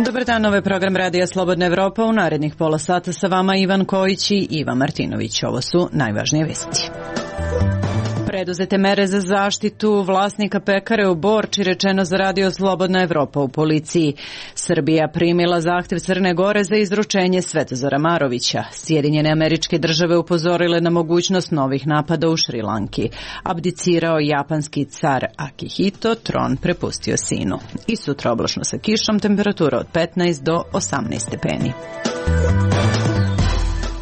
Dobar dan, ovo je program Radija Slobodna Evropa. U narednih pola sata sa vama Ivan Kojić i Ivan Martinović. Ovo su najvažnije vesti. Preduzete mere za zaštitu vlasnika pekare u Borči, rečeno za Radio Slobodna Evropa u policiji. Srbija primila zahtev Crne Gore za izručenje Svetozara Marovića. Sjedinjene Američke Države upozorile na mogućnost novih napada u Šrilanki. Abdicirao japanski car Akihito, tron prepustio sinu. I sutra oblačno sa kišom, temperatura od 15 do 18 stepeni.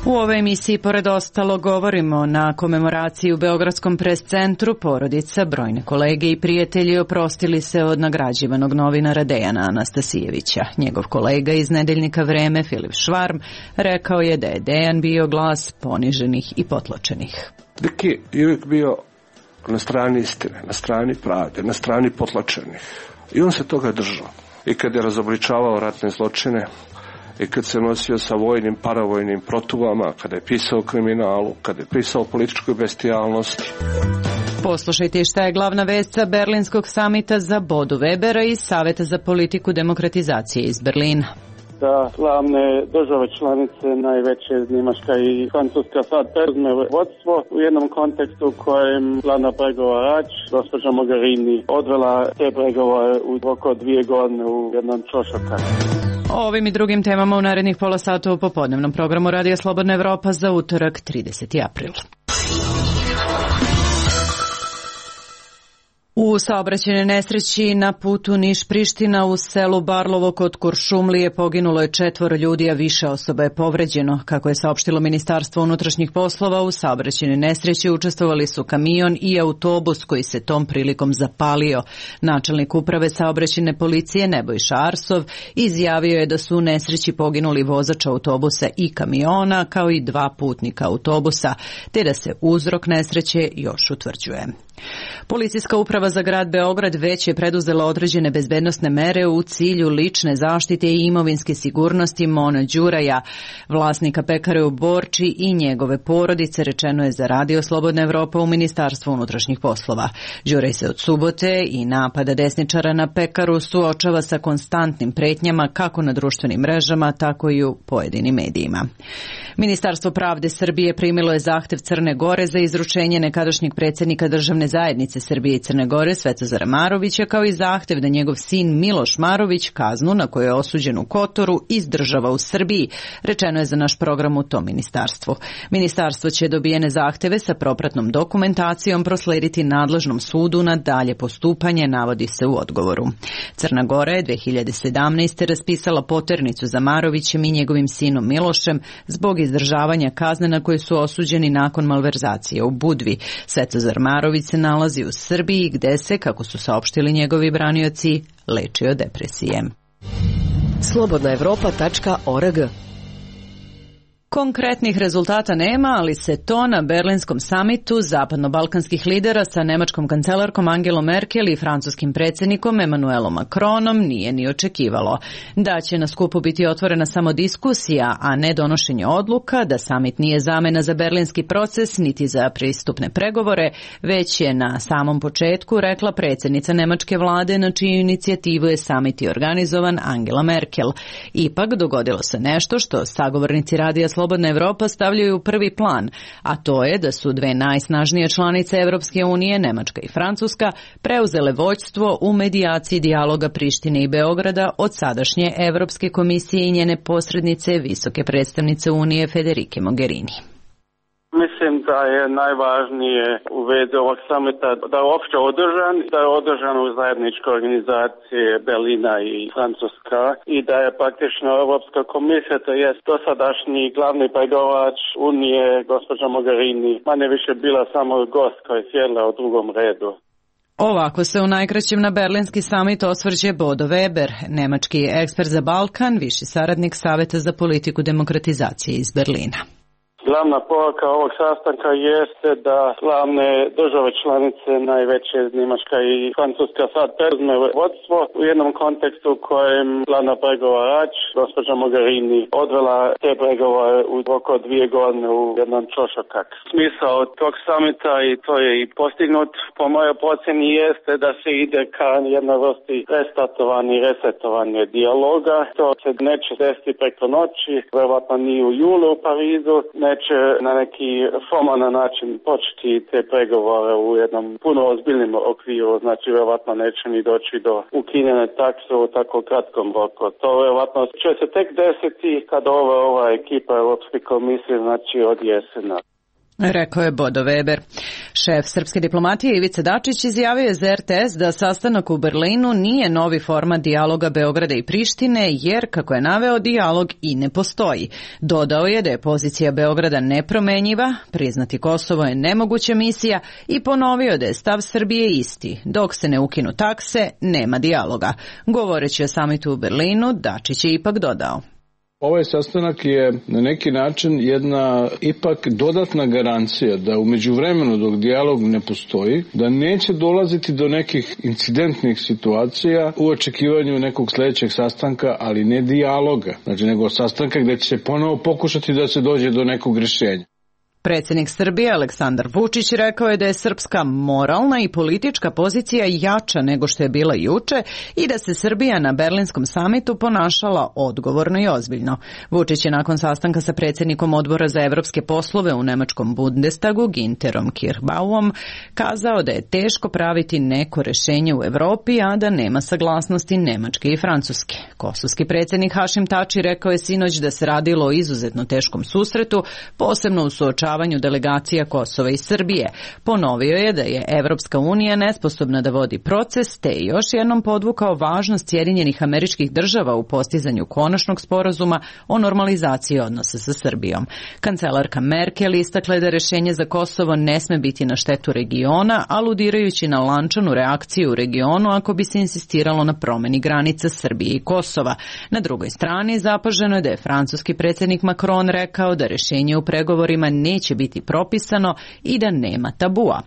U ovoj emisiji, pored ostalo, govorimo na komemoraciji u Beogradskom pres centru. Porodica, brojne kolege i prijatelji oprostili se od nagrađivanog novinara Dejana Anastasijevića. Njegov kolega iz nedeljnika Vreme, Filip Švarm, rekao je da je Dejan bio glas poniženih i potlačenih. Deki je uvijek bio na strani istine, na strani pravde, na strani potlačenih. I on se toga držao. I kad je razobličavao ratne zločine, i kad se nosio sa vojnim, paravojnim protuvama, kada je pisao o kriminalu, kada je pisao o političkoj bestijalnosti. Poslušajte šta je glavna vest sa Berlinskog samita za Bodu Webera iz Saveta za politiku demokratizacije iz Berlina. Da glavne države članice, najveće Njemačka i Francuska, sad preuzme vodstvo u jednom kontekstu u kojem glavna pregovarač, gospođa Mogherini, odvela te pregovore u oko 2 godine u jedan čošak. O ovim i drugim temama u narednih pola sata u popodnevnom programu Radija Slobodna Evropa za utorak 30. april. U saobraćajnoj nesreći na putu Niš-Priština u selu Barlovo kod Kuršumlije poginulo je 4 ljudi, a više osoba je povređeno. Kako je saopštilo Ministarstvo unutrašnjih poslova, u saobraćajnoj nesreći učestvovali su kamion i autobus koji se tom prilikom zapalio. Načelnik uprave saobraćajne policije Nebojša Arsov izjavio je da su u nesreći poginuli vozač autobusa i kamiona, kao i 2 putnika autobusa, te da se uzrok nesreće još utvrđuje. Policijska uprava za grad Beograd već je preduzela određene bezbednosne mere u cilju lične zaštite i imovinske sigurnosti Mona Đuraja, vlasnika pekare u Borči i njegove porodice, rečeno je za Radio Slobodna Evropa u Ministarstvu unutrašnjih poslova. Đuraj se od subote i napada desničara na pekaru suočava sa konstantnim pretnjama kako na društvenim mrežama, tako i u pojedinim medijima. Ministarstvo pravde Srbije primilo je zahtev Crne Gore za izručenje nekadašnjeg predsjednika Državne zajednice Srbije i Crne Gore Svetozara Marovića, kao i zahtev da njegov sin Miloš Marović kaznu na koju je osuđen u Kotoru izdržava u Srbiji, rečeno je za naš program u tom ministarstvu. Ministarstvo će dobijene zahteve sa propratnom dokumentacijom proslediti nadležnom sudu na dalje postupanje, navodi se u odgovoru. Crna Gora je 2017. raspisala poternicu za Marovićem i njegovim sinom Milošem zbog izdržavanja kazne na koje su osuđeni nakon malverzacije u Budvi. Svetozar Marović se nalazi u Srbiji gde se, kako su saopštili njegovi branioci, leči od depresije. slobodnaevropa.org. Konkretnih rezultata nema, ali se to na Berlinskom samitu zapadno-balkanskih lidera sa nemačkom kancelarkom Angelom Merkel i francuskim predsjednikom Emmanuelom Macronom nije ni očekivalo. Da će na skupu biti otvorena samo diskusija, a ne donošenje odluka, da samit nije zamena za berlinski proces niti za pristupne pregovore, već je na samom početku rekla predsjednica nemačke vlade na čiju inicijativu je samit i organizovan Angela Merkel. Ipak dogodilo se nešto što sagovornici Radija Slobodna Evropa stavljaju u prvi plan, a to je da su 2 najsnažnije članice Evropske unije, Nemačka i Francuska, preuzele vođstvo u medijaciji dijaloga Prištine i Beograda od sadašnje Evropske komisije i njene posrednice, visoke predstavnice Unije Federike Mogherini. Mislim da je najvažnije u vezi ovog samita da je uopće održan, da je održan u zajedničkoj organizaciji Berlina i Francuska i da je praktično Europska komisija, to jest dosadašnji glavni pregovarač Unije, gospođa Mogherini, manje više bila samo gost koja je sjedila u drugom redu. Ovako se u najkraćem na Berlinski samit osvrće Bodo Weber, nemački ekspert za Balkan, viši saradnik Saveta za politiku demokratizacije iz Berlina. Glavna poruka ovog sastanka jeste da glavne države članice, najveće Njemačka i Francuska, sad preuzme vodstvo u jednom kontekstu u kojem glavna pregovarač, gospođa Mogherini, odvela te pregovore u oko 2 godine u jedan čošokak. Smisao tog samita, i to je i postignut po mojoj procjeni, jeste da se ide ka jednoj vrsti resetovanje dijaloga. To se neće desiti preko noći, verovatno ni u julu u Parizu, neće na neki formalan način početi te pregovore u jednom puno ozbiljnim okviru, znači verovatno neće ni doći do ukinjene takse u tako kratkom roku. To verovatno će se tek desiti kad ova ekipa Europske komisije, znači od jesena. Rekao je Bodo Weber. Šef srpske diplomatije Ivica Dačić izjavio je za RTS da sastanak u Berlinu nije novi format dijaloga Beograda i Prištine, jer, kako je naveo, dijalog i ne postoji. Dodao je da je pozicija Beograda nepromenjiva, priznati Kosovo je nemoguća misija i ponovio da je stav Srbije isti. Dok se ne ukinu takse, nema dijaloga. Govoreći o samitu u Berlinu, Dačić je ipak dodao: Ovaj sastanak je na neki način jedna ipak dodatna garancija da u međuvremenu, dok dijalog ne postoji, da neće dolaziti do nekih incidentnih situacija u očekivanju nekog sljedećeg sastanka, ali ne dijaloga, znači nego sastanka gdje će se ponovo pokušati da se dođe do nekog rješenja. Predsjednik Srbije Aleksandar Vučić rekao je da je srpska moralna i politička pozicija jača nego što je bila juče i da se Srbija na Berlinskom samitu ponašala odgovorno i ozbiljno. Vučić je nakon sastanka sa predsjednikom odbora za evropske poslove u nemačkom Bundestagu Günterom Kirchbauom kazao da je teško praviti neko rješenje u Europi, a da nema saglasnosti Nemačke i Francuske. Kosovski predsjednik Hašim Tači rekao je sinoć da se radilo o izuzetno teškom susretu, posebno u suočavanju delegacija Kosova i Srbije. Ponovio je da je Evropska unija nesposobna da vodi proces, te je još jednom podvukao važnost Sjedinjenih Američkih Država u postizanju konačnog sporazuma o normalizaciji odnosa sa Srbijom. Kancelarka Merkel istakla je da rješenje za Kosovo ne sme biti na štetu regiona, aludirajući na lančanu reakciju u regionu ako bi se insistiralo na promjeni granica Srbije i Kosova. Na drugoj strani zapaženo je da je francuski predsjednik Macron rekao da rješenje u pregovorima neće biti propisano i da nema tabua.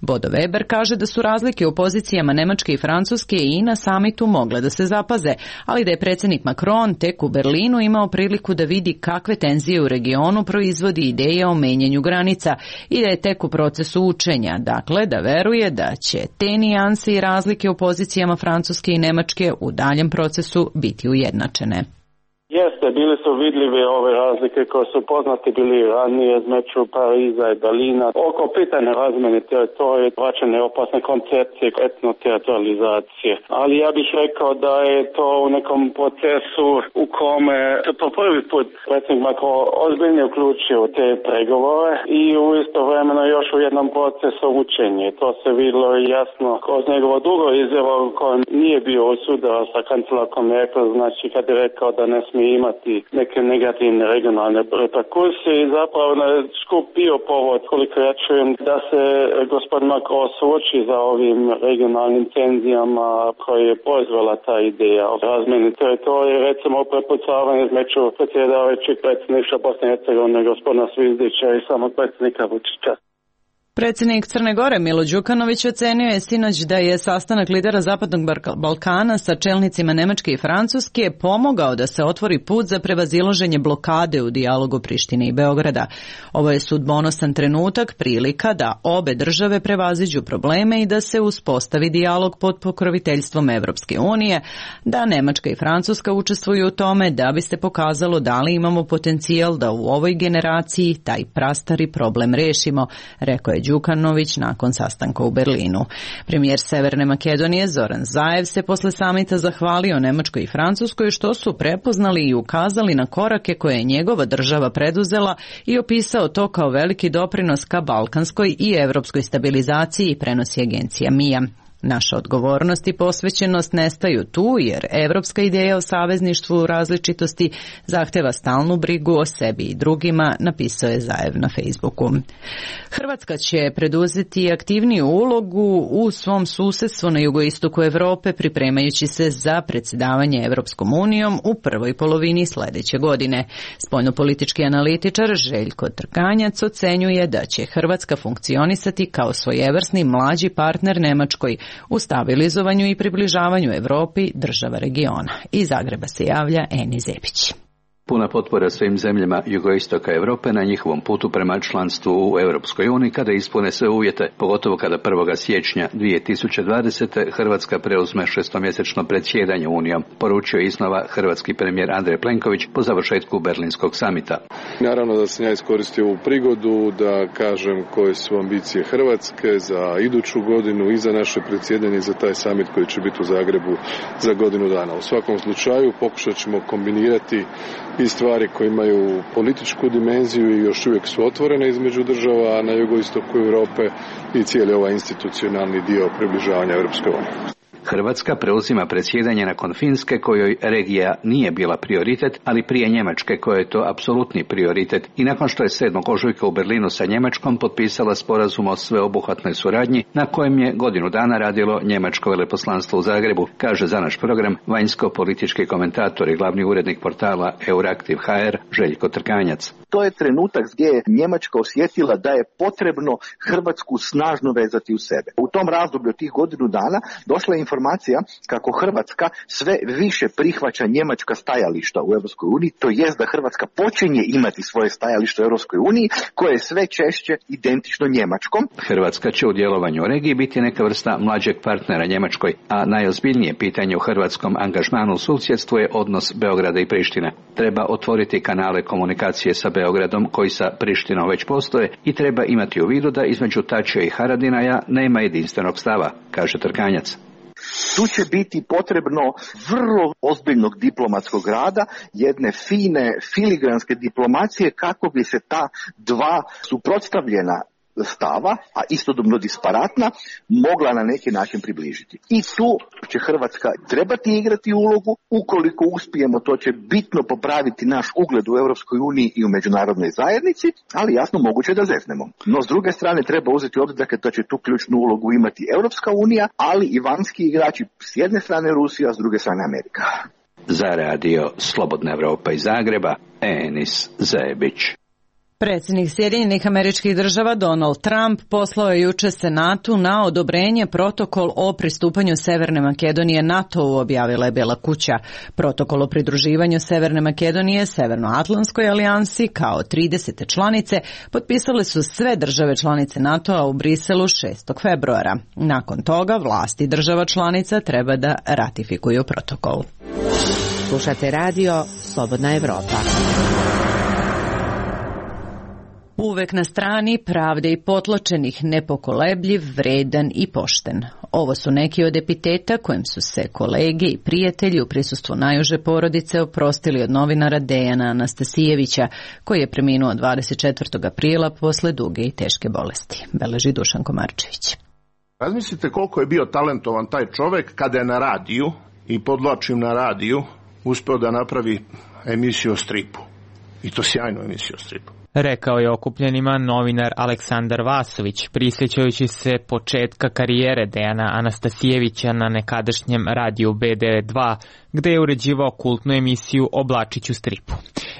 Bodo Weber kaže da su razlike u pozicijama Nemačke i Francuske i na samitu mogle da se zapaze, ali da je predsjednik Macron tek u Berlinu imao priliku da vidi kakve tenzije u regionu proizvodi ideja o menjanju granica i da je tek u procesu učenja, dakle da veruje da će te nijanse i razlike u pozicijama Francuske i Nemačke u daljem procesu biti ujednačene. Jeste, bili su vidljive ove razlike koje su poznate bili ranije između Pariza i Berlina oko pitanja razmjene teritorije, vraćanje opasne koncepcije etnoteritorializacije. Ali ja bih rekao da je to u nekom procesu u kome po prvi put predsjednik Macron ozbiljno uključio te pregovore i u istovremeno još u jednom procesu učenja. To se vidjelo jasno kroz njegovo drugo izjavo u kojem nije bio osudan sa kancelarkom Merkel, znači kad je rekao da ne smije imati neke negativne regionalne reperkusije i zapravo na skup bio povod, koliko ja čujem, da se gospodin Macron suoči za ovim regionalnim tenzijama koje je proizvela ta ideja o razmjeni teritorije, recimo prepucavanje između predsjedavajućeg predsjednika Bosne i Hercegovine gospodina Zvizdića i samog predsjednika Vučića. Predsjednik Crne Gore Milo Đukanović ocenio je sinoć da je sastanak lidera Zapadnog Balkana sa čelnicima Nemačke i Francuske pomogao da se otvori put za prevazilaženje blokade u dijalogu Prištine i Beograda. Ovo je sudbonosan trenutak, prilika da obe države prevaziđu probleme i da se uspostavi dijalog pod pokroviteljstvom Evropske unije, da Nemačka i Francuska učestvuju u tome da bi se pokazalo da li imamo potencijal da u ovoj generaciji taj prastari problem rešimo, rekao je Đukanović nakon sastanka u Berlinu. Premijer Severne Makedonije Zoran Zaev se posle samita zahvalio Nemačkoj i Francuskoj što su prepoznali i ukazali na korake koje je njegova država preduzela i opisao to kao veliki doprinos ka balkanskoj i evropskoj stabilizaciji, prenosi agencija MIA. Naša odgovornost i posvećenost nestaju tu jer evropska ideja o savezništvu u različitosti zahteva stalnu brigu o sebi i drugima, napisao je Zaev na Facebooku. Hrvatska će preduzeti aktivniju ulogu u svom susedstvu na jugoistoku Europe pripremajući se za predsjedavanje Evropskom unijom u prvoj polovini sljedeće godine. Spoljnopolitički analitičar Željko Trkanjac ocenjuje da će Hrvatska funkcionisati kao svojevrsni mlađi partner Njemačkoj u stabilizovanju i približavanju Europi država regiona. Iz Zagreba se javlja Eni Zebić. Puna potpora svim zemljama jugoistoka Europe na njihovom putu prema članstvu u Europskoj uniji kada ispune sve uvjete, pogotovo kada 1. siječnja 2020. Hrvatska preuzme šestomjesečno predsjedanje Unijom, poručio iznova hrvatski premijer Andrej Plenković po završetku Berlinskog samita. Naravno da sam ja iskoristio ovu prigodu da kažem koje su ambicije Hrvatske za iduću godinu i za naše predsjedanje i za taj samit koji će biti u Zagrebu za godinu dana. U svakom slučaju pokušat ćemo kombinirati i stvari koje imaju političku dimenziju i još uvijek su otvorene između država na jugoistoku Europe i cijeli ovaj institucionalni dio približavanja Europske unije. Hrvatska preuzima predsjedanje nakon Finske kojoj regija nije bila prioritet, ali prije Njemačke kojoj je to apsolutni prioritet i nakon što je 7. ožujka u Berlinu sa Njemačkom potpisala sporazum o sveobuhvatnoj suradnji na kojem je godinu dana radilo njemačko veleposlanstvo u Zagrebu, kaže za naš program vanjsko-politički komentator i glavni urednik portala Euraktiv.hr Željko Trkanjac. To je trenutak gdje je Njemačka osjetila da je potrebno Hrvatsku snažno vezati u sebe. U tom razdoblju od tih godinu dana došla je informacija kako Hrvatska sve više prihvaća njemačka stajališta u Europskoj uniji, to jest da Hrvatska počinje imati svoje stajalište u Europskoj uniji koje je sve češće identično njemačkom. Hrvatska će u djelovanju u regiji biti neka vrsta mlađeg partnera Njemačkoj, a najozbiljnije pitanje u hrvatskom angažmanu u susjedstvu je odnos Beograda i Prištine. Treba otvoriti kanale komunikacije sa Beogradom koji sa Prištinom već postoje i treba imati u vidu da između Tačija i Haradinaja nema jedinstvenog stava, kaže Trkanjac. Tu će biti potrebno vrlo ozbiljnog diplomatskog rada, jedne fine filigranske diplomacije kako bi se ta dva suprotstavljena stava, a istodobno disparatna, mogla na neki način približiti. I tu će Hrvatska trebati igrati ulogu, ukoliko uspijemo to će bitno popraviti naš ugled u Europskoj uniji i u međunarodnoj zajednici, ali jasno moguće da zeznemo. No s druge strane treba uzeti u obzir da će tu ključnu ulogu imati Europska unija, ali i vanjski igrači, s jedne strane Rusija, a s druge strane Amerika. Za radio Slobodna Evropa iz Zagreba, Enis Zebić. Predsjednik Sjedinjenih Američkih Država Donald Trump poslao je jučer Senatu na odobrenje protokol o pristupanju Severne Makedonije NATO-u, objavila je Bijela kuća. Protokol o pridruživanju Severne Makedonije Severnoatlantskoj alijansi kao 30. članice potpisale su sve države članice NATO-a u Briselu 6. februara. Nakon toga vlasti država članica treba da ratifikuju protokol. Slušate radio Slobodna Evropa. Uvek na strani pravde i potlačenih, nepokolebljiv, vredan i pošten. Ovo su neki od epiteta kojim su se kolege i prijatelji u prisustvu najuže porodice oprostili od novinara Dejana Anastasijevića, koji je preminuo 24. aprila posle duge i teške bolesti, beleži Dušan Komarčević. Razmislite koliko je bio talentovan taj čovek kada je na radiju, i podlačim na radiju, uspeo da napravi emisiju o stripu. I to sjajnu emisiju o stripu. Rekao je okupljenima novinar Aleksandar Vasović, prisjećajući se početka karijere Dejana Anastasijevića na nekadašnjem radiju B92, gde je uređivao kultnu emisiju o Blačiću stripu.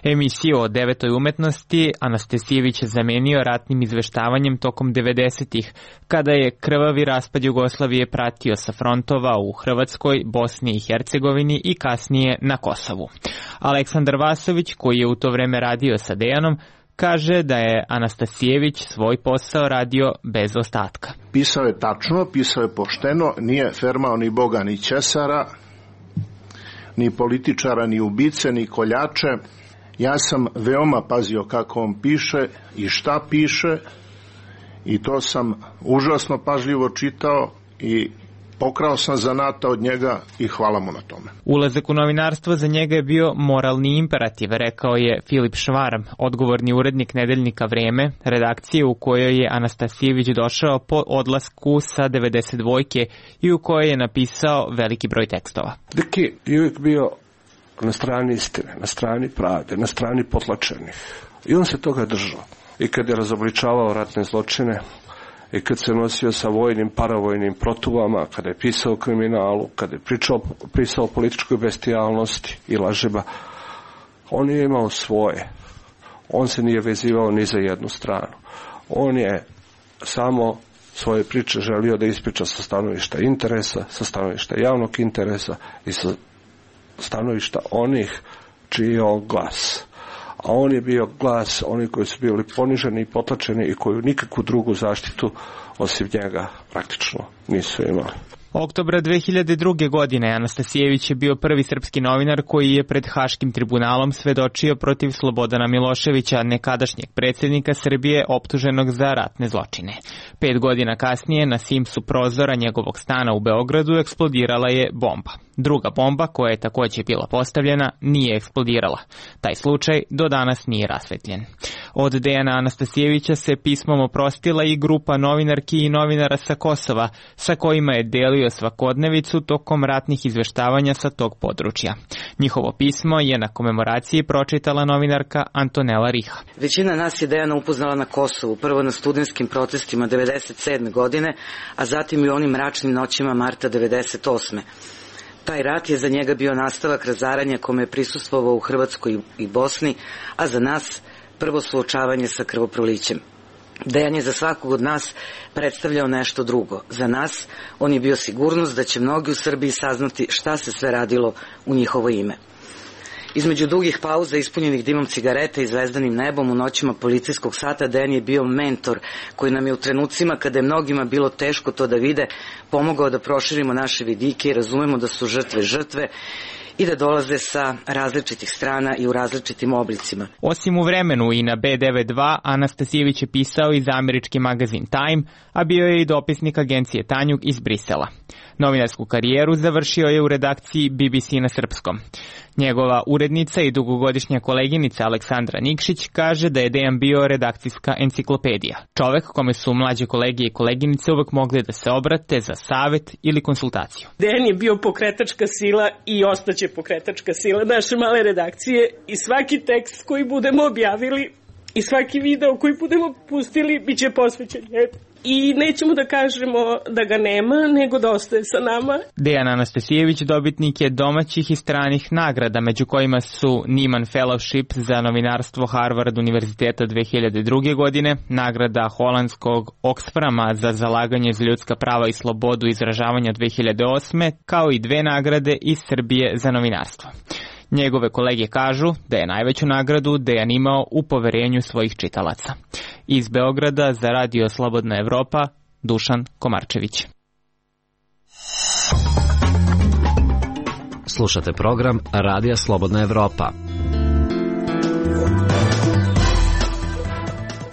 Emisiju o devetoj umetnosti Anastasijević je zamenio ratnim izveštavanjem tokom 90-ih, kada je krvavi raspad Jugoslavije pratio sa frontova u Hrvatskoj, Bosni i Hercegovini i kasnije na Kosovu. Aleksandar Vasović, koji je u to vreme radio sa Dejanom, kaže da je Anastasijević svoj posao radio bez ostatka. Pisao je tačno, pisao je pošteno, nije fermao ni Boga ni Ćesara, ni političara, ni ubice, ni koljače. Ja sam veoma pazio kako on piše i šta piše i to sam užasno pažljivo čitao i pokrao sam zanata od njega i hvala mu na tome. Ulazak u novinarstvo za njega je bio moralni imperativ, rekao je Filip Švarm, odgovorni urednik nedeljnika Vreme, redakcije u kojoj je Anastasijević došao po odlasku sa 92 i u kojoj je napisao veliki broj tekstova. Deki je uvijek bio na strani istine, na strani pravde, na strani potlačenih. I on se toga držao. I kad je razobličavao ratne zločine, i kad se nosio sa vojnim, paravojnim protuvama, kada je pisao o kriminalu, kada je pisao o političkoj bestijalnosti i lažima, on je imao svoje. On se nije vezivao ni za jednu stranu. On je samo svoje priče želio da ispriča sa stanovišta interesa, sa stanovišta javnog interesa i sa stanovišta onih čiji je on glas. A on je bio glas onih koji su bili poniženi i potlačeni i koju nikakvu drugu zaštitu osim njega praktično nisu imali. Oktobra 2002. godine Anastasijević je bio prvi srpski novinar koji je pred Haškim tribunalom svedočio protiv Slobodana Miloševića, nekadašnjeg predsjednika Srbije optuženog za ratne zločine. 5 godina kasnije na simsu prozora njegovog stana u Beogradu eksplodirala je bomba. Druga bomba, koja je također bila postavljena, nije eksplodirala. Taj slučaj do danas nije rasvetljen. Od Dejana Anastasijevića se pismom oprostila i grupa novinarki i novinara sa Kosova, sa kojima je delio svakodnevicu tokom ratnih izveštavanja sa tog područja. Njihovo pismo je na komemoraciji pročitala novinarka Antonela Riha. Većina nas je Dejana upoznala na Kosovu, prvo na studentskim protestima 1997. godine, a zatim i onim mračnim noćima marta 1998. Taj rat je za njega bio nastavak razaranja kome je prisustvovao u Hrvatskoj i Bosni, a za nas prvo suočavanje sa krvoprolićem. Dejan je za svakog od nas predstavljao nešto drugo. Za nas on je bio sigurnost da će mnogi u Srbiji saznati šta se sve radilo u njihovo ime. Između dugih pauza ispunjenih dimom cigareta i zvezdanim nebom u noćima policijskog sata Dejan je bio mentor koji nam je u trenucima kada je mnogima bilo teško to da vide pomogao da proširimo naše vidike i razumemo da su žrtve i da dolaze sa različitih strana i u različitim oblicima. Osim u Vremenu i na B92, Anastasijević je pisao i za američki magazin Time, a bio je i dopisnik agencije Tanjug iz Brisela. Novinarsku karijeru završio je u redakciji BBC na srpskom. Njegova urednica i dugogodišnja koleginica Aleksandra Nikšić kaže da je Dejan bio redakcijska enciklopedija. Čovek kome su mlađe kolege i koleginice uvek mogli da se obrate za savet ili konsultaciju. Dejan je bio pokretačka sila i ostaće pokretačka sila naše male redakcije i svaki tekst koji budemo objavili i svaki video koji budemo pustili bit će posvećen njemu. I nećemo da kažemo da ga nema, nego da ostaje sa nama. Dejan Anastasijević dobitnik je domaćih i stranih nagrada, među kojima su Nieman Fellowship za novinarstvo Harvard univerziteta 2002. godine, nagrada holandskog Oxfama za zalaganje za ljudska prava i slobodu izražavanja 2008. kao i 2 nagrade iz Srbije za novinarstvo. Njegove kolege kažu da je najveću nagradu Dejan imao u poverenju svojih čitalaca. Iz Beograda za Radio Slobodna Evropa, Dušan Komarčević. Slušate program Radija Slobodna Evropa.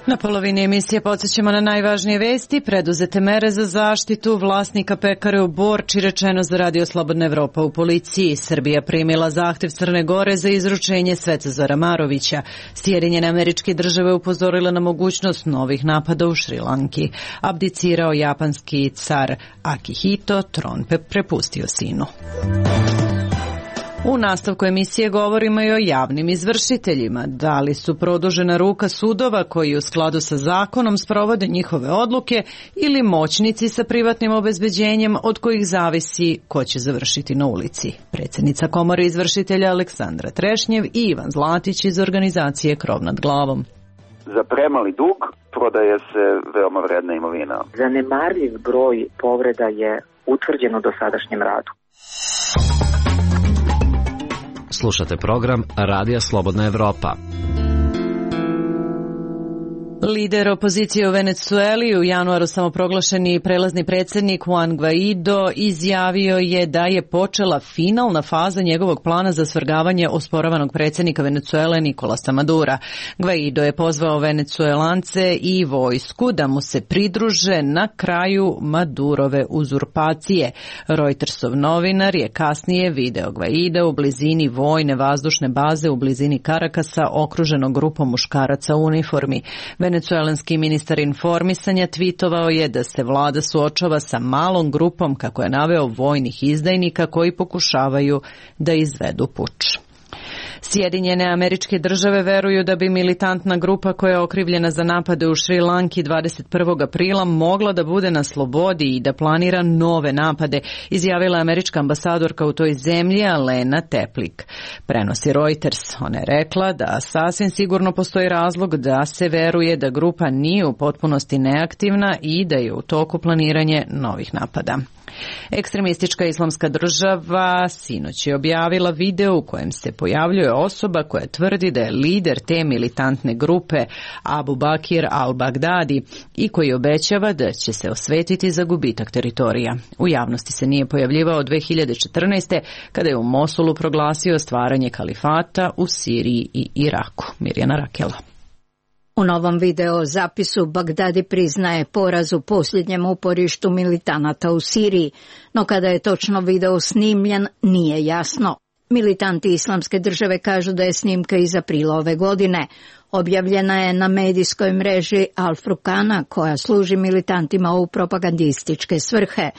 Na polovini emisije podsjećamo na najvažnije vesti, preduzete mere za zaštitu vlasnika pekare u Borči, rečeno za Radio Slobodna Evropa u policiji. Srbija primila zahtev Crne Gore za izručenje Svetozara Marovića. Sjedinjene Američke Države upozorile na mogućnost novih napada u Šrilanki. Abdicirao japanski car Akihito, tron prepustio sinu. U nastavku emisije govorimo i o javnim izvršiteljima. Da li su produžena ruka sudova koji u skladu sa zakonom sprovode njihove odluke ili moćnici sa privatnim obezbeđenjem od kojih zavisi ko će završiti na ulici? Predsjednica Komore izvršitelja Aleksandra Trešnjev i Ivan Zlatić iz organizacije Krov nad glavom. Za premali dug prodaje se veoma vredna imovina. Zanemarljiv broj povreda je utvrđen u dosadašnjem radu. Slušate program Radija Slobodna Evropa. Lider opozicije u Venecueli, u januaru samoproglašeni prelazni predsjednik Juan Guaido, izjavio je da je počela finalna faza njegovog plana za svrgavanje osporavanog predsjednika Venecuele Nicolasa Madura. Guaido je pozvao Venecuelance i vojsku da mu se pridruže na kraju Madurove uzurpacije. Reutersov novinar je kasnije video Guaida u blizini vojne vazdušne baze u blizini Karakasa, okruženog grupom muškaraca u uniformi. Venecuelanski ministar informisanja tvitovao je da se vlada suočava sa malom grupom, kako je naveo, vojnih izdajnika koji pokušavaju da izvedu puč. Sjedinjene Američke Države veruju da bi militantna grupa koja je okrivljena za napade u Šri Lanki 21. aprila mogla da bude na slobodi i da planira nove napade, izjavila američka ambasadorka u toj zemlji Alena Teplik. Prenosi Reuters. Ona je rekla da sasvim sigurno postoji razlog da se veruje da grupa nije u potpunosti neaktivna i da je u toku planiranje novih napada. Ekstremistička Islamska država sinoć je objavila video u kojem se pojavljuje osoba koja tvrdi da je lider te militantne grupe Abu Bakir al-Baghdadi i koji obećava da će se osvetiti za gubitak teritorija. U javnosti se nije pojavljivao od 2014. kada je u Mosulu proglasio stvaranje kalifata u Siriji i Iraku. Mirjana Rakela. U novom video zapisu Bagdadi priznaje poraz u posljednjem uporištu militanata u Siriji, no kada je točno video snimljen nije jasno. Militanti Islamske države kažu da je snimka iz aprila ove godine. Objavljena je na medijskoj mreži Al-Furqana koja služi militantima u propagandističke svrhe.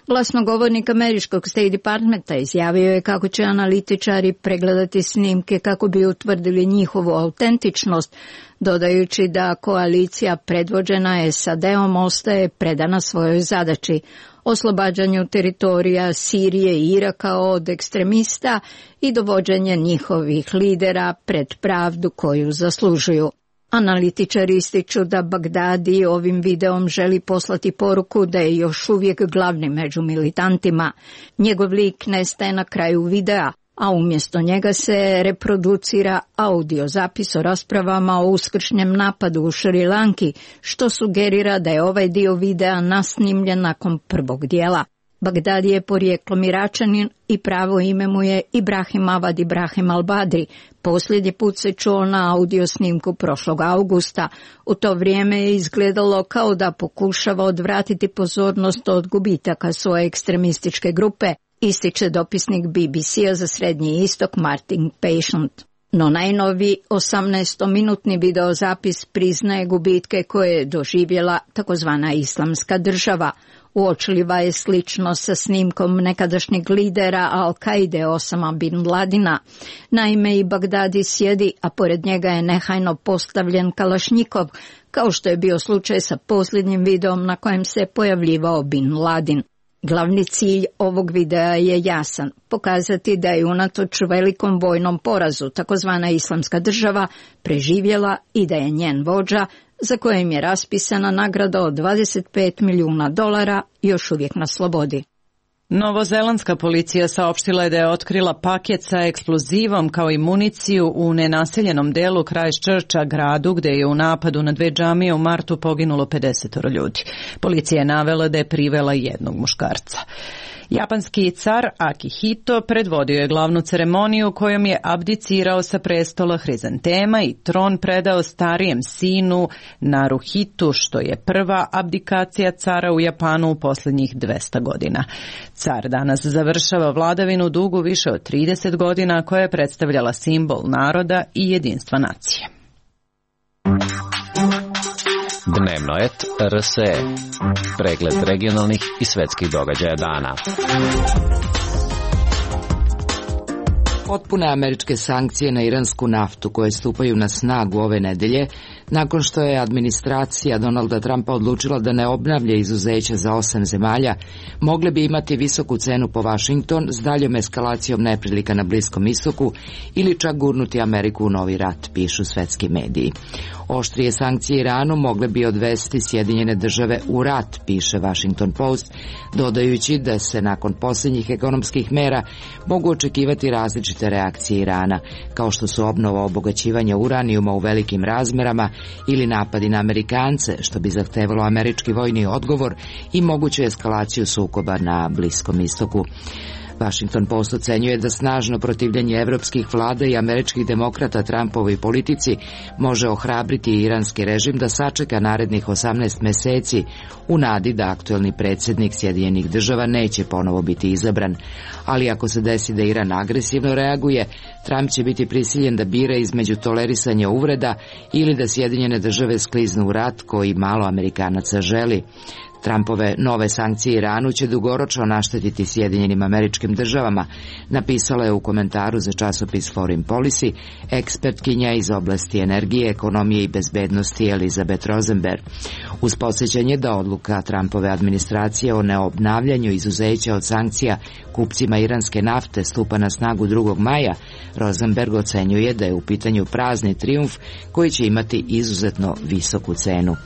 Glasnogovornik američkog State Departmenta izjavio je kako će analitičari pregledati snimke kako bi utvrdili njihovu autentičnost, dodajući da koalicija predvođena SAD-om ostaje predana svojoj zadaći, oslobađanju teritorija Sirije i Iraka od ekstremista i dovođenje njihovih lidera pred pravdu koju zaslužuju. Analitičari ističu da Bagdadi ovim videom želi poslati poruku da je još uvijek glavni među militantima. Njegov lik nestaje na kraju videa, a umjesto njega se reproducira audio zapis o raspravama o uskršnjem napadu u Šri Lanki, što sugerira da je ovaj dio videa nasnimljen nakon prvog dijela. Bagdadi je porijeklom Iračanin i pravo ime mu je Ibrahim Avad Ibrahim al-Badri. Posljednji put se čuo na audio snimku prošlog augusta. U to vrijeme je izgledalo kao da pokušava odvratiti pozornost od gubitaka svoje ekstremističke grupe, ističe dopisnik BBC-a za Srednji istok Martin Patient. No najnoviji 18-minutni videozapis priznaje gubitke koje je doživjela takozvana Islamska država. Uočljiva je sličnost sa snimkom nekadašnjeg lidera Al-Kaide Osama bin Ladina. Naime, i Bagdadi sjedi, a pored njega je nehajno postavljen kalašnjikov, kao što je bio slučaj sa posljednjim videom na kojem se pojavljivao bin Ladin. Glavni cilj ovog videa je jasan, pokazati da je unatoč velikom vojnom porazu takozvana Islamska država preživjela i da je njen vođa, za kojim je raspisana nagrada od $25 milijuna, još uvijek na slobodi. Novozelandska policija saopštila je da je otkrila paket sa eksplozivom kao i municiju u nenaseljenom delu Christchurcha, gradu gde je u napadu na 2 džamije u martu poginulo 50 ljudi. Policija je navela da je privela jednog muškarca. Japanski car Akihito predvodio je glavnu ceremoniju kojom je abdicirao sa prestola Hrizantema i tron predao starijem sinu Naruhitu, što je prva abdikacija cara u Japanu u posljednjih 200 godina. Car danas završava vladavinu dugu više od 30 godina koja je predstavljala simbol naroda i jedinstva nacije. Dnevno et RSE. Pregled regionalnih i svetskih događaja dana. Potpune američke sankcije na iransku naftu koje stupaju na snagu ove nedelje, nakon što je administracija Donalda Trumpa odlučila da ne obnavlja izuzeća za 8 zemalja, mogle bi imati visoku cenu po Washington s daljom eskalacijom neprilika na Bliskom istoku ili čak gurnuti Ameriku u novi rat, pišu svetski mediji. Oštrije sankcije Iranu mogle bi odvesti Sjedinjene države u rat, piše Washington Post, dodajući da se nakon posljednjih ekonomskih mera mogu očekivati različite reakcije Irana, kao što su obnova obogaćivanja uranijuma u velikim razmerama ili napadi na Amerikance, što bi zahtevalo američki vojni odgovor i moguću eskalaciju sukoba na Bliskom istoku. Washington Post ocenjuje da snažno protivljenje evropskih vlada i američkih demokrata Trumpovoj politici može ohrabriti iranski režim da sačeka narednih 18 meseci u nadi da aktuelni predsjednik Sjedinjenih Država neće ponovo biti izabran. Ali ako se desi da Iran agresivno reaguje, Trump će biti prisiljen da bira između tolerisanja uvreda ili da Sjedinjene Države skliznu u rat koji malo Amerikanaca želi. Trumpove nove sankcije Iranu će dugoročno naštetiti Sjedinjenim Američkim Državama, napisala je u komentaru za časopis Foreign Policy ekspertkinja iz oblasti energije, ekonomije i bezbednosti Elizabeth Rosenberg. Uz podsjećanje da odluka Trumpove administracije o neobnavljanju izuzeća od sankcija kupcima iranske nafte stupa na snagu 2. maja, Rosenberg ocenjuje da je u pitanju prazni trijumf koji će imati izuzetno visoku cenu.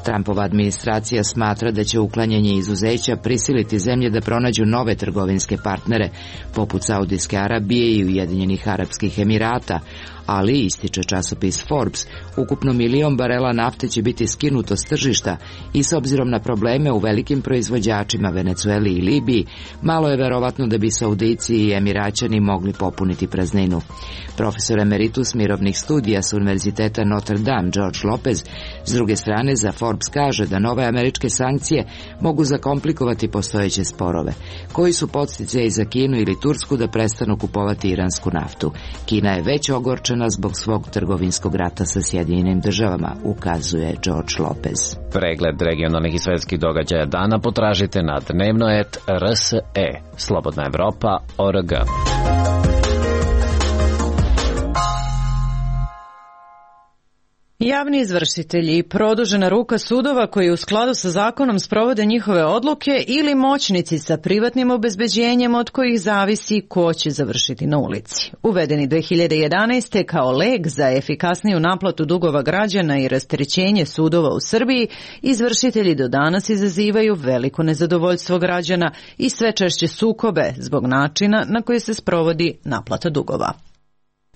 Trumpova administracija smatra da će uklanjanje izuzeća prisiliti zemlje da pronađu nove trgovinske partnere, poput Saudijske Arabije i Ujedinjenih Arapskih Emirata, ali, ističe časopis Forbes, ukupno 1 milion barela nafte će biti skinuto s tržišta i s obzirom na probleme u velikim proizvođačima Venecueli i Libiji, malo je verovatno da bi Saudijci i Emiraćani mogli popuniti prazninu. Profesor emeritus mirovnih studija s Univerziteta Notre Dame George Lopez s druge strane za Forbes kaže da nove američke sankcije mogu zakomplikovati postojeće sporove, koji su podsticaji za Kinu ili Tursku da prestanu kupovati iransku naftu. Kina je već ogorčena zbog svog trgovinskog rata sa Sjedinjenim Državama, ukazuje George Lopez. Pregled regionalnih i svetskih događaja dana potražite na dnevnoet.rse. Slobodna Evropa.org. Javni izvršitelji i produžena ruka sudova koji u skladu sa zakonom sprovode njihove odluke ili moćnici sa privatnim obezbeđenjem od kojih zavisi ko će završiti na ulici. Uvedeni 2011. kao lek za efikasniju naplatu dugova građana i rasterećenje sudova u Srbiji, izvršitelji do danas izazivaju veliko nezadovoljstvo građana i sve češće sukobe zbog načina na koji se sprovodi naplata dugova.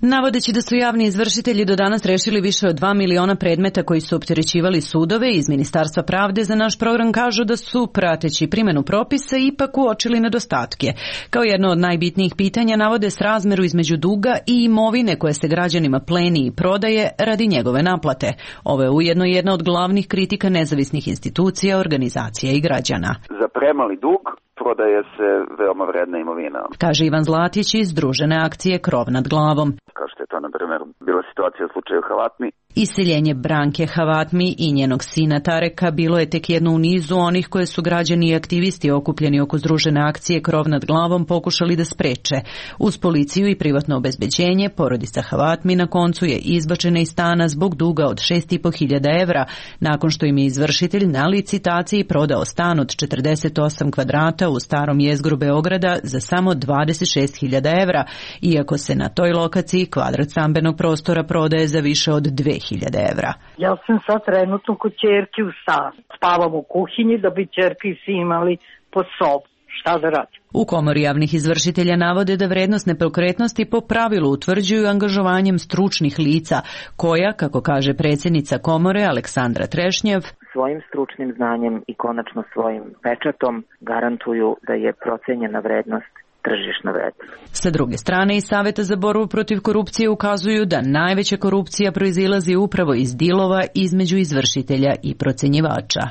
Navodeći da su javni izvršitelji do danas rešili više od 2 miliona predmeta koji su opterećivali sudove, iz Ministarstva pravde za naš program kažu da su, prateći primjenu propisa, ipak uočili nedostatke. Kao jedno od najbitnijih pitanja navode srazmeru između duga i imovine koje se građanima pleni i prodaje radi njegove naplate. Ovo je ujedno jedna od glavnih kritika nezavisnih institucija, organizacija i građana. Za premali dug prodaje se veoma vredna imovina. Kaže Ivan Zlatić iz Združene akcije Krov nad glavom. Kao što je to, na primjer, bila situacija u slučaju Havatmi. Iseljenje Branke Havatmi i njenog sina Tareka bilo je tek jedno u nizu onih koje su građani i aktivisti okupljeni oko Združene akcije Krov nad glavom pokušali da spreče. Uz policiju i privatno obezbeđenje, porodica Havatmi na koncu je izbačena iz stana zbog duga od 6.500 evra, nakon što im je izvršitelj na licitaciji prodao stan od 48 kvadrata u starom jezgru Beograda za samo 26.000 evra, iako se na toj lokaciji kvadrat stambenog prostora prodaje za više od 2.000 evra. Ja sam sad trenutno kod ćerke u stanu. Spavam u kuhinji da bi ćerke i svi imali po sobu. Šta da radim? U Komori javnih izvršitelja navode da vrednost nepokretnosti po pravilu utvrđuju angažovanjem stručnih lica, koja, kako kaže predsjednica Komore Aleksandra Trešnjev, svojim stručnim znanjem i konačno svojim pečatom garantuju da je procenjena vrednost tržišna vrednost. Sa druge strane, iz Saveta za borbu protiv korupcije ukazuju da najveća korupcija proizilazi upravo iz dilova između izvršitelja i procenjivača.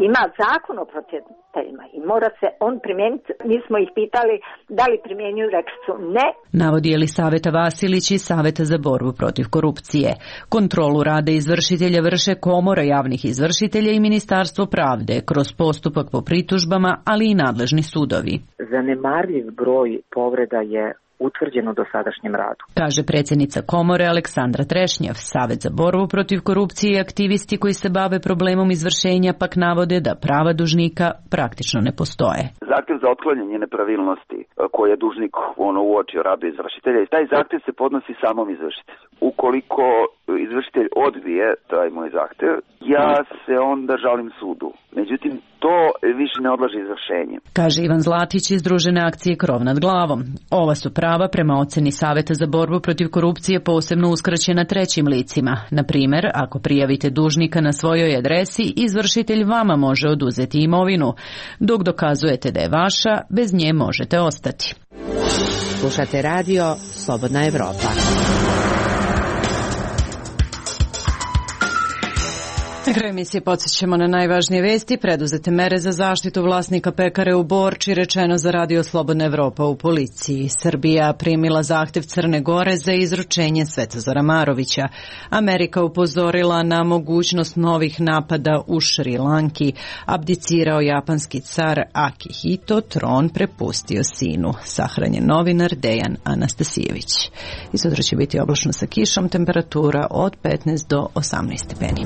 Ima zakon o procjeniteljima i mora se on primijeniti. Mi smo ih pitali da li primjenjuju, rekli su ne. Navodi Elisaveta Vasilić iz Saveta za borbu protiv korupcije. Kontrolu rada izvršitelja vrše Komora javnih izvršitelja i Ministarstvo pravde kroz postupak po pritužbama, ali i nadležni sudovi. Zanemarljiv broj povreda je utvrđeno u dosadašnjem radu. Kaže predsjednica Komore Aleksandra Trešnjev. Savet za borbu protiv korupcije i aktivisti koji se bave problemom izvršenja pak navode da prava dužnika praktično ne postoje. Zahtjev za otklanjanje nepravilnosti koje je dužnik uočio radu izvršitelja, i taj zahtjev se podnosi samom izvršitelju. Ukoliko izvršitelj odbije taj moj zahtev, ja se onda žalim sudu. Međutim, to više ne odlaže izvršenje. Kaže Ivan Zlatić iz Združene akcije Krov nad glavom. Ova su prava prema oceni Saveta za borbu protiv korupcije posebno uskraćena trećim licima. Na primjer, ako prijavite dužnika na svojoj adresi, izvršitelj vama može oduzeti imovinu. Dok dokazujete da je vaša, bez nje možete ostati. Slušate radio Slobodna Evropa. Na kraju emisije podsjećamo na najvažnije vesti. Preduzete mere za zaštitu vlasnika pekare u Borči, rečeno za radio Slobodna Evropa u policiji. Srbija primila zahtev Crne Gore za izručenje Svetozara Marovića. Amerika upozorila na mogućnost novih napada u Šri Lanki. Abdicirao japanski car Akihito, tron prepustio sinu. Sahranjen novinar Dejan Anastasijević. I sutra će biti oblačno sa kišom, temperatura od 15 do 18 stepeni.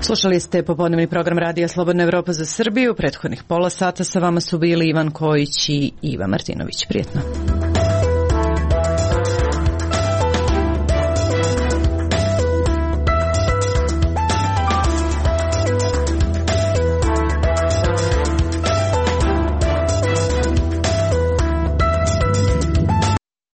Slušali ste popodnevni program Radija Slobodna Evropa za Srbiju. Prethodnih pola sata sa vama su bili Ivan Kojić i Iva Martinović. Prijetno.